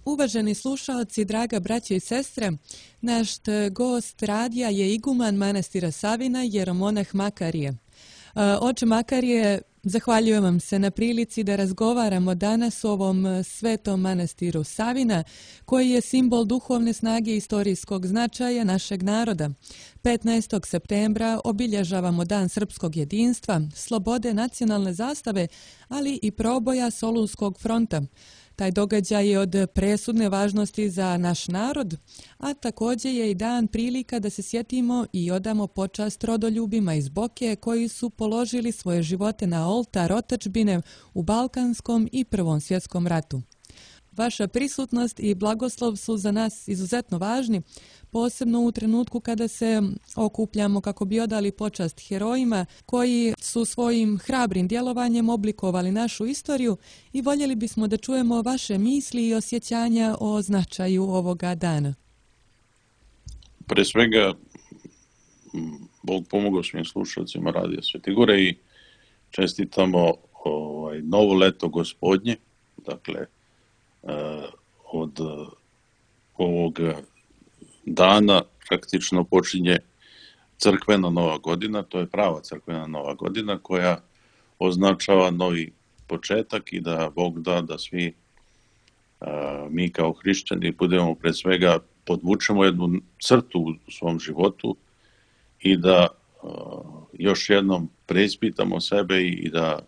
Uvaženi slušaoci, draga braćo i sestre, naš gost radija je iguman manastira Savina, jeromonah Makarije. Oče Makarije, zahvaljujem vam se na prilici da razgovaramo danas o ovom svetom manastiru Savina, koji je simbol duhovne snage i istorijskog značaja našeg naroda. 15. septembra obilježavamo Dan srpskog jedinstva, slobode nacionalne zastave, ali i proboja Solunskog fronta. Taj događaj je od presudne važnosti za naš narod, a također je i dan prilika da se sjetimo i odamo počast rodoljubima iz Boke koji su položili svoje živote na oltar otadžbine u Balkanskom i Prvom svjetskom ratu. Vaša prisutnost i blagoslov su za nas izuzetno važni, posebno u trenutku kada se okupljamo kako bi odali počast herojima koji su svojim hrabrim djelovanjem oblikovali našu istoriju i voljeli bismo da čujemo vaše misli i osjećanja o značaju ovoga dana. Pre svega, Bog pomogao svim slušalcima Radija Svete Gore i čestitamo novo leto Gospodnje, dakle, od ovog dana praktično počinje crkvena nova godina, to je prava crkvena nova godina koja označava novi početak i da Bog da da svi mi kao hrišćani budemo pre svega podvučemo jednu crtu u svom životu i da još jednom preispitamo sebe i da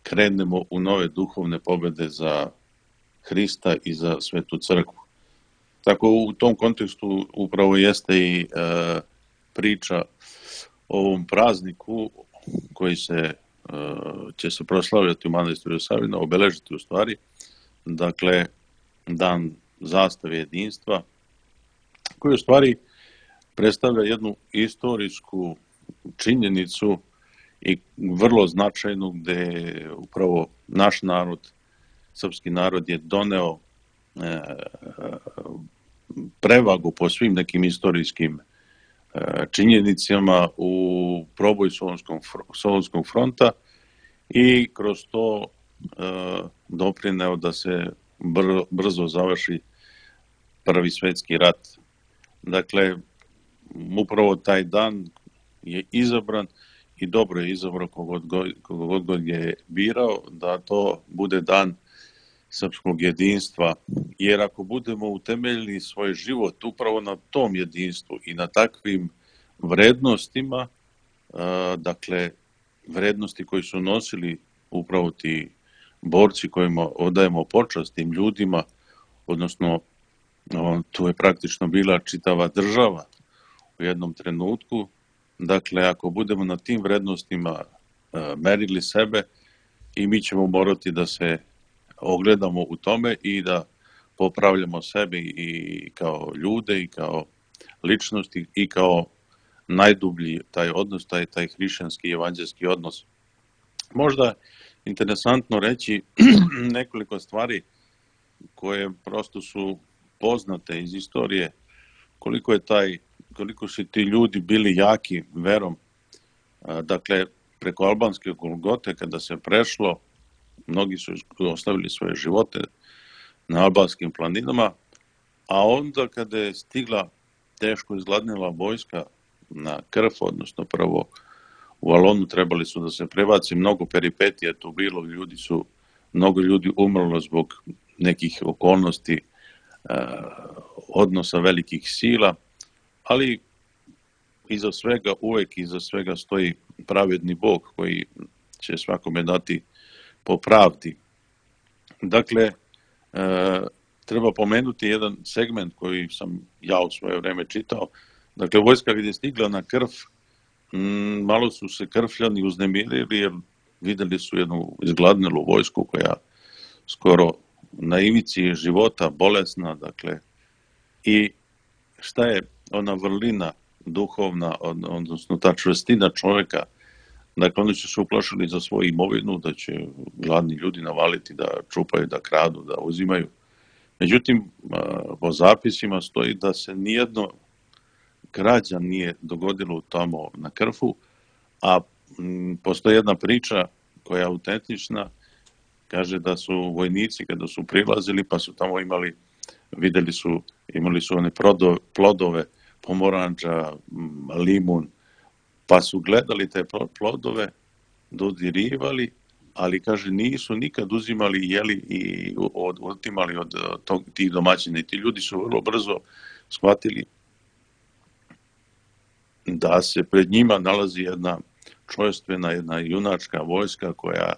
krenemo u nove duhovne pobjede za Hrista i za Svetu crkvu. Tako u tom kontekstu upravo jeste i priča o ovom prazniku koji će se proslavljati u manastiru Savina, obeležiti u stvari, dakle, dan zastave jedinstva, koji u stvari predstavlja jednu istorijsku činjenicu i vrlo značajnu gdje upravo naš narod, srpski narod je doneo prevagu po svim nekim istorijskim činjenicama u proboj Solunskog fronta i kroz to doprineo da se brzo završi Prvi svjetski rat. Dakle, upravo taj dan je izabran i dobro je izabrao kogod god je birao da to bude dan srpskog jedinstva, jer ako budemo utemeljili svoj život upravo na tom jedinstvu i na takvim vrednostima, dakle, vrednosti koji su nosili upravo ti borci kojima odajemo počast tim ljudima, odnosno tu je praktično bila čitava država u jednom trenutku, dakle, ako budemo na tim vrednostima merili sebe i mi ćemo morati da se ogledamo u tome i da popravljamo sebe i kao ljude i kao ličnosti i kao najdublji taj odnos, taj hrišćanski evanđelski odnos. Možda interesantno reći nekoliko stvari koje prosto su poznate iz istorije, koliko su ti ljudi bili jaki verom. Dakle, preko albanske Golgote kada se prešlo, mnogi su ostavili svoje živote na albanskim planinama, a onda kada je stigla teško izgladnila vojska na Krf, odnosno prvo u Alonu trebali su da se prebaci, mnogo peripetija tu bilo, mnogo ljudi umrlo zbog nekih okolnosti, odnosa velikih sila, ali iza svega stoji pravedni Bog koji će svakome dati po pravdi. Dakle, treba pomenuti jedan segment koji sam ja u svoje vreme čitao. Dakle, vojska gdje je stigla na Krf, malo su se Krfljani uznemirili jer vidjeli su jednu izgladnelu vojsku koja skoro na ivici života, bolesna, dakle, i šta je ona vrlina duhovna, odnosno ta čvrstina čovjeka. Dakle, oni su se uplašili za svoju imovinu, da će gladni ljudi navaliti, da čupaju, da kradu, da uzimaju. Međutim, po zapisima stoji da se nijedno krađa nije dogodilo tamo na Krfu, a postoji jedna priča koja je autentična, kaže da su vojnici kada su prilazili pa su tamo imali vidjeli su, imali su one plodove, pomoranđa, limun, pa su gledali te plodove, dodirivali, ali kaže nisu nikad uzimali, jeli i otimali od tih domaćina. I ti ljudi su vrlo brzo shvatili da se pred njima nalazi jedna čojstvena, jedna junačka vojska koja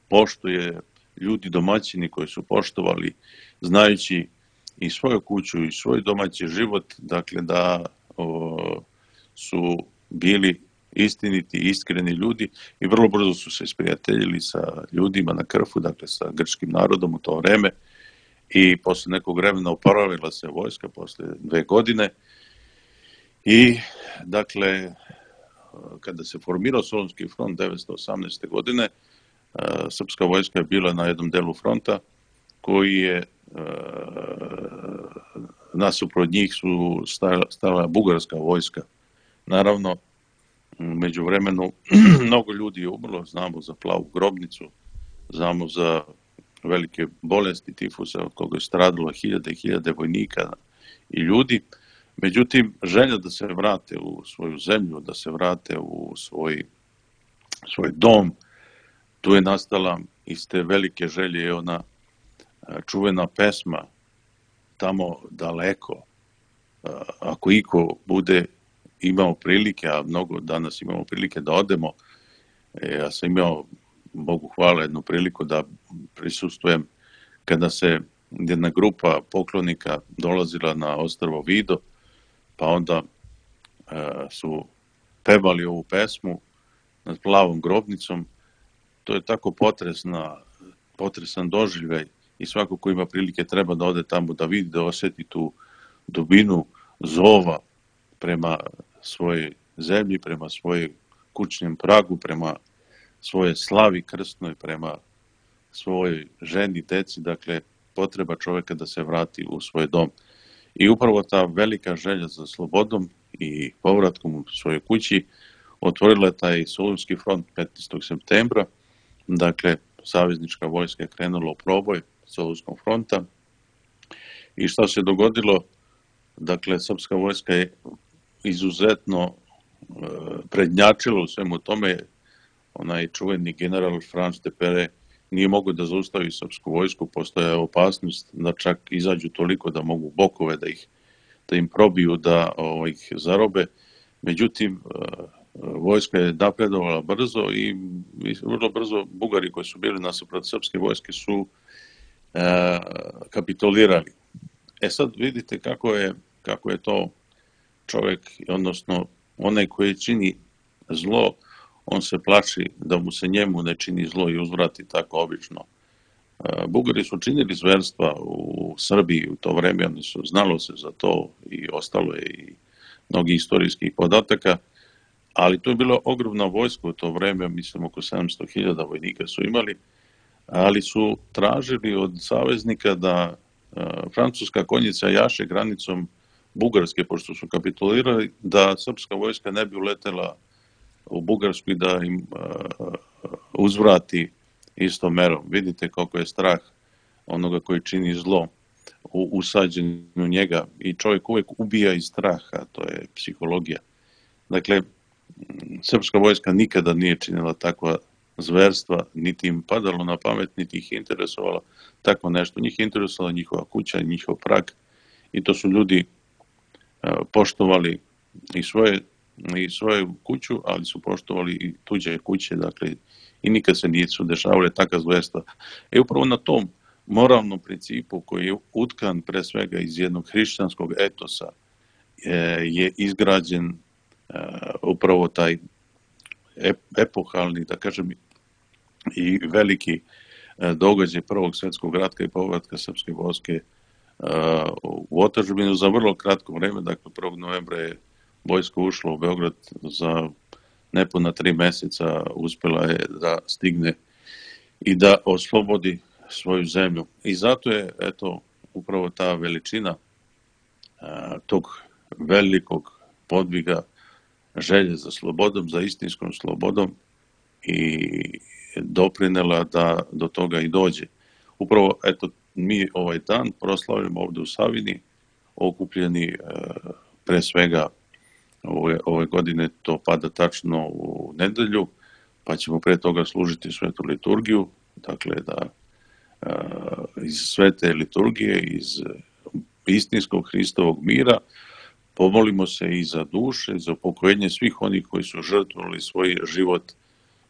poštuje, ljudi domaćini koji su poštovali, znajući i svoju kuću i svoj domaći život, dakle da su bili istiniti, iskreni ljudi i vrlo brzo su se isprijateljili sa ljudima na Krfu, dakle sa grčkim narodom u to vreme, i posle nekog vremena oporavila se vojska, posle 2 godine, i dakle kada se formirao Solunski front 918. godine, srpska vojska je bila na jednom delu fronta koji je nasuprot njih su stala bugarska vojska. Naravno, među vremenu mnogo ljudi je umrlo, znamo za plavu grobnicu, znamo za velike bolesti tifusa od koga je stradilo hiljade i hiljade vojnika i ljudi. Međutim, želja da se vrate u svoju zemlju, da se vrate u svoj dom, tu je nastala iz te velike želje ona čuvena pesma Tamo daleko. Ako iko bude imao prilike, a mnogo danas imamo prilike da odemo, ja sam imao, Bogu hvala, jednu priliku da prisustvujem kada se jedna grupa poklonika dolazila na ostrvo Vido, pa onda su pevali ovu pesmu nad plavom grobnicom. To je tako potresan doživljaj i svako ko ima prilike treba da ode tamo da vidi, da osjeti tu dubinu zova prema svojoj zemlji, prema svojoj kućnom pragu, prema svoje slavi krstnoj, prema svojoj ženi, deci, dakle potreba čovjeka da se vrati u svoj dom. I upravo ta velika želja za slobodom i povratkom u svojoj kući otvorila je taj Solunski front 15. septembra, dakle saveznička vojska je krenula u proboj Solunskog fronta. I šta se dogodilo? Dakle, srpska vojska je izuzetno prednjačila u svemu tome. Onaj čuveni general Franz de Pere nije mogao da zaustavi srpsku vojsku, postoja opasnost da čak izađu toliko da mogu bokove da im probiju, da ih zarobe. Međutim, vojska je napredovala brzo i vrlo brzo Bugari koji su bili nasuprot srpske vojske su kapitulirali. Sad vidite kako je to čovjek, odnosno onaj koji čini zlo, on se plaši da mu se njemu ne čini zlo i uzvrati tako obično. Bugari su činili zverstva u Srbiji u to vreme, oni su znalo se za to i ostalo je i mnogi istorijskih podataka, ali to je bila ogromna vojska u to vreme, mislim oko 700.000 vojnika su imali, ali su tražili od saveznika da francuska konjica jaše granicom Bugarske, pošto su kapitulirali, da srpska vojska ne bi uletela u Bugarsku i da im uzvrati istom merom. Vidite koliko je strah onoga koji čini zlo usađen u njega i čovjek uvijek ubija iz straha, to je psihologija. Dakle, srpska vojska nikada nije činila takva zverstva, niti im padalo na pamet, niti ih interesovalo tako nešto. Njih je interesovala njihova kuća, njihov prag i to su ljudi poštovali i svoju kuću, ali su poštovali i tuđe kuće, dakle, i nikad se nisu dešavale takva zverstva. Upravo na tom moralnom principu koji je utkan pre svega iz jednog hrišćanskog etosa je izgrađen upravo taj epohalni, da kažem, i veliki događaj Prvog svjetskog rata i povratka srpske vojske u otadžbinu za vrlo kratko vreme. Dakle, 1. novembra je vojska ušla u Beograd, za nepuna 3 meseca uspjela je da stigne i da oslobodi svoju zemlju. I zato je, eto, upravo ta veličina tog velikog podviga, želje za slobodom, za istinskom slobodom i doprinela da do toga i dođe. Upravo, eto, mi ovaj dan proslavimo ovdje u Savini, okupljeni pre svega ove godine to pada tačno u nedelju, pa ćemo pre toga služiti svetu liturgiju, dakle da iz svete liturgije, iz istinskog Hristovog mira, pomolimo se i za duše, za upokojenje svih onih koji su žrtvovali svoj život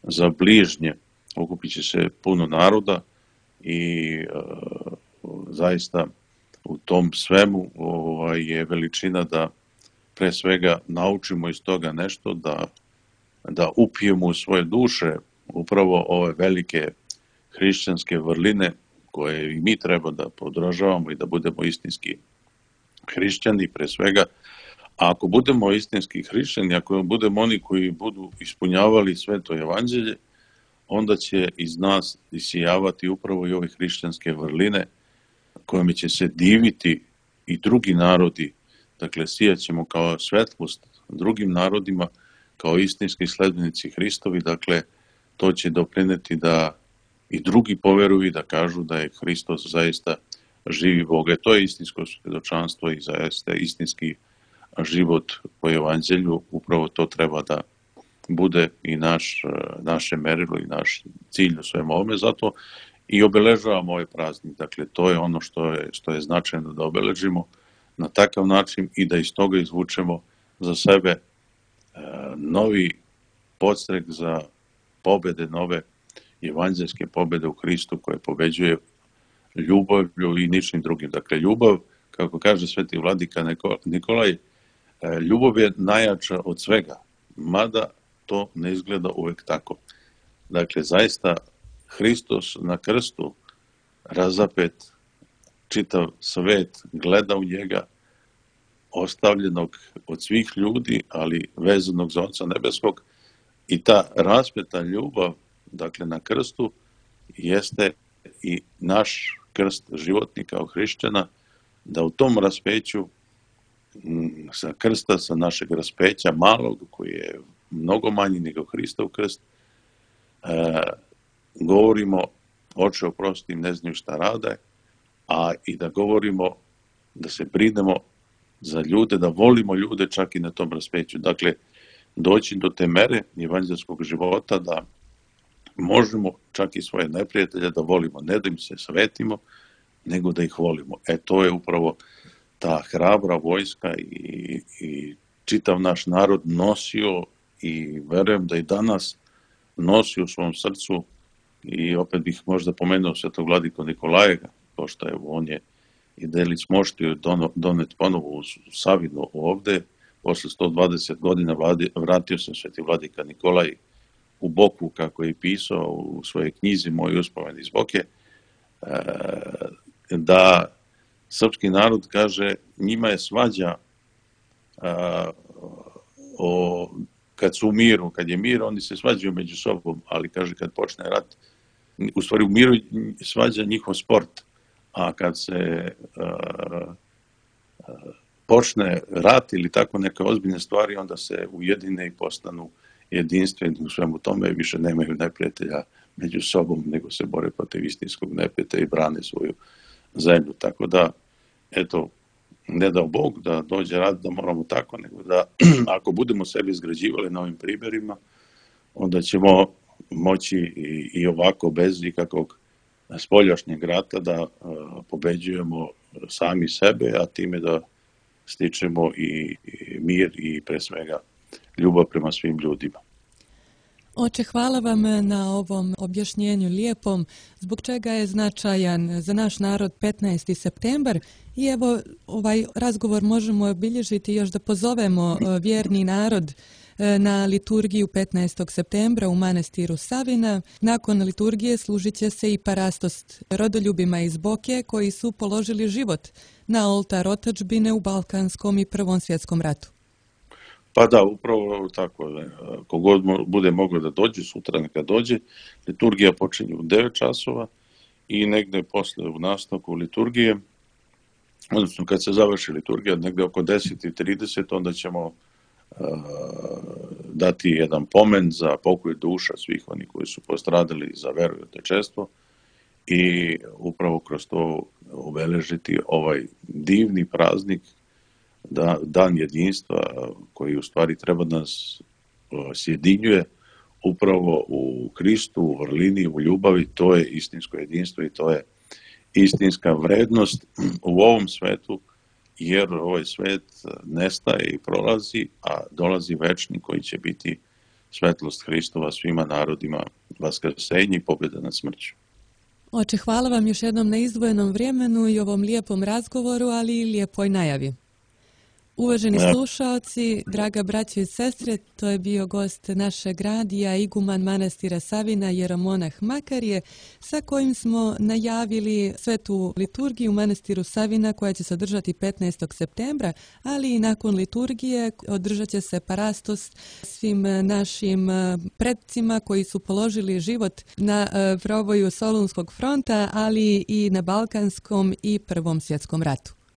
za bližnje. Okupit će se puno naroda i zaista u tom svemu je veličina da pre svega naučimo iz toga nešto, da upijemo u svoje duše upravo ove velike hrišćanske vrline koje i mi treba da podržavamo i da budemo istinski hrišćani pre svega. A ako budemo istinski hrišćani, ako budemo oni koji budu ispunjavali sveto evanđelje, onda će iz nas isijavati upravo i ove hrišćanske vrline kojima će se diviti i drugi narodi. Dakle, sijaćemo kao svetlost drugim narodima, kao istinski sledbenici Hristovi. Dakle, to će doprineti da i drugi poveruju i da kažu da je Hristos zaista živi Bog. To je istinsko svjedočanstvo i zaista istinski život po evanđelju. Upravo to treba da bude i naše merilo i naš cilj u svemu ovome. Zato i obeležavamo ovaj praznik. Dakle, to je ono što je značajno da obeležimo na takav način i da iz toga izvučemo za sebe novi podstrek za pobede, nove evanđelske pobede u Hristu koje pobeđuje ljubavlju i ničim drugim. Dakle, ljubav, kako kaže sveti vladika Nikolaj, ljubav je najjača od svega, mada to ne izgleda uvek tako. Dakle, zaista Hristos na krstu razapet, čitav svet gleda u njega, ostavljenog od svih ljudi, ali vezanog za Oca nebeskog, i ta raspeta ljubav, dakle na krstu, jeste i naš krst životni kao hrišćana, da u tom raspeću sa krsta, sa našeg raspeća malog, koji je mnogo manji nego Hristov krst, govorimo: Oče, oprosti im, ne znaju šta rade, a i da govorimo, da se brinemo za ljude, da volimo ljude čak i na tom raspeću. Dakle, doći do te mere evanđelskog života da možemo čak i svoje neprijatelje da volimo, ne da im se svetimo, nego da ih volimo. To je upravo ta hrabra vojska i čitav naš narod nosio i verujem da i danas nosi u svom srcu. I opet bih možda pomenuo svetog vladiku Nikolaja, pošto on je i delić moštio donet ponovo u Savinu ovde. Posle 120 godina vratio se sveti vladika Nikolaj u Boku, kako je pisao u svojoj knjizi Moj uspomen iz Boke, da srpski narod, kaže, njima je svađa kad su u miru, kad je mir, oni se svađaju među sobom, ali kaže kad počne rat, u stvari u miru svađa njihov sport, a kad se počne rat ili tako neke ozbiljne stvari, onda se ujedine i postanu jedinstveni u svemu tome, više nemaju neprijatelja među sobom, nego se bore protiv istinskog neprijatelja i brane svoju zemlju. Tako da, eto, ne dao Bog da dođe rat da moramo tako, nego da ako budemo sebi izgrađivali na ovim primjerima, onda ćemo moći i ovako bez ikakvog spoljašnjeg rata da pobeđujemo sami sebe, a time da stičemo i mir i pre svega ljubav prema svim ljudima. Oče, hvala vam na ovom objašnjenju lijepom, zbog čega je značajan za naš narod 15. septembar. I evo, ovaj razgovor možemo obilježiti još da pozovemo vjerni narod na liturgiju 15. septembra u manastiru Savina. Nakon liturgije služit će se i parastost rodoljubima iz Boke koji su položili život na oltar otadžbine u Balkanskom i Prvom svjetskom ratu. Pa da, upravo tako. Kogod bude mogao da dođe, sutra neka dođe. Liturgija počinje u 9 časova i negde posle u nastavku liturgije, odnosno kad se završi liturgija, negde oko 10:30, onda ćemo dati jedan pomen za pokoj duša svih onih koji su postradali za veru i otečestvo i upravo kroz to obeležiti ovaj divni praznik, dan jedinstva koji u stvari treba nas sjedinjuje upravo u Kristu, u vrlini, u ljubavi. To je istinsko jedinstvo i to je istinska vrednost u ovom svetu, jer ovaj svet nestaje i prolazi, a dolazi večni koji će biti svetlost Hristova svima narodima, vaskrsenje i pobjeda nad smrću. Oče, hvala vam još jednom na izdvojenom vremenu i ovom lijepom razgovoru, ali i lijepoj najavi. Uvaženi slušaoci, draga braćo i sestre, to je bio gost našeg radija, iguman manastira Savina, jeromonah Makarije, sa kojim smo najavili svetu liturgiju u manastiru Savina koja će se održati 15. septembra, ali i nakon liturgije održat će se parastos svim našim predcima koji su položili život na proboju Solunskog fronta, ali i na Balkanskom i Prvom svjetskom ratu.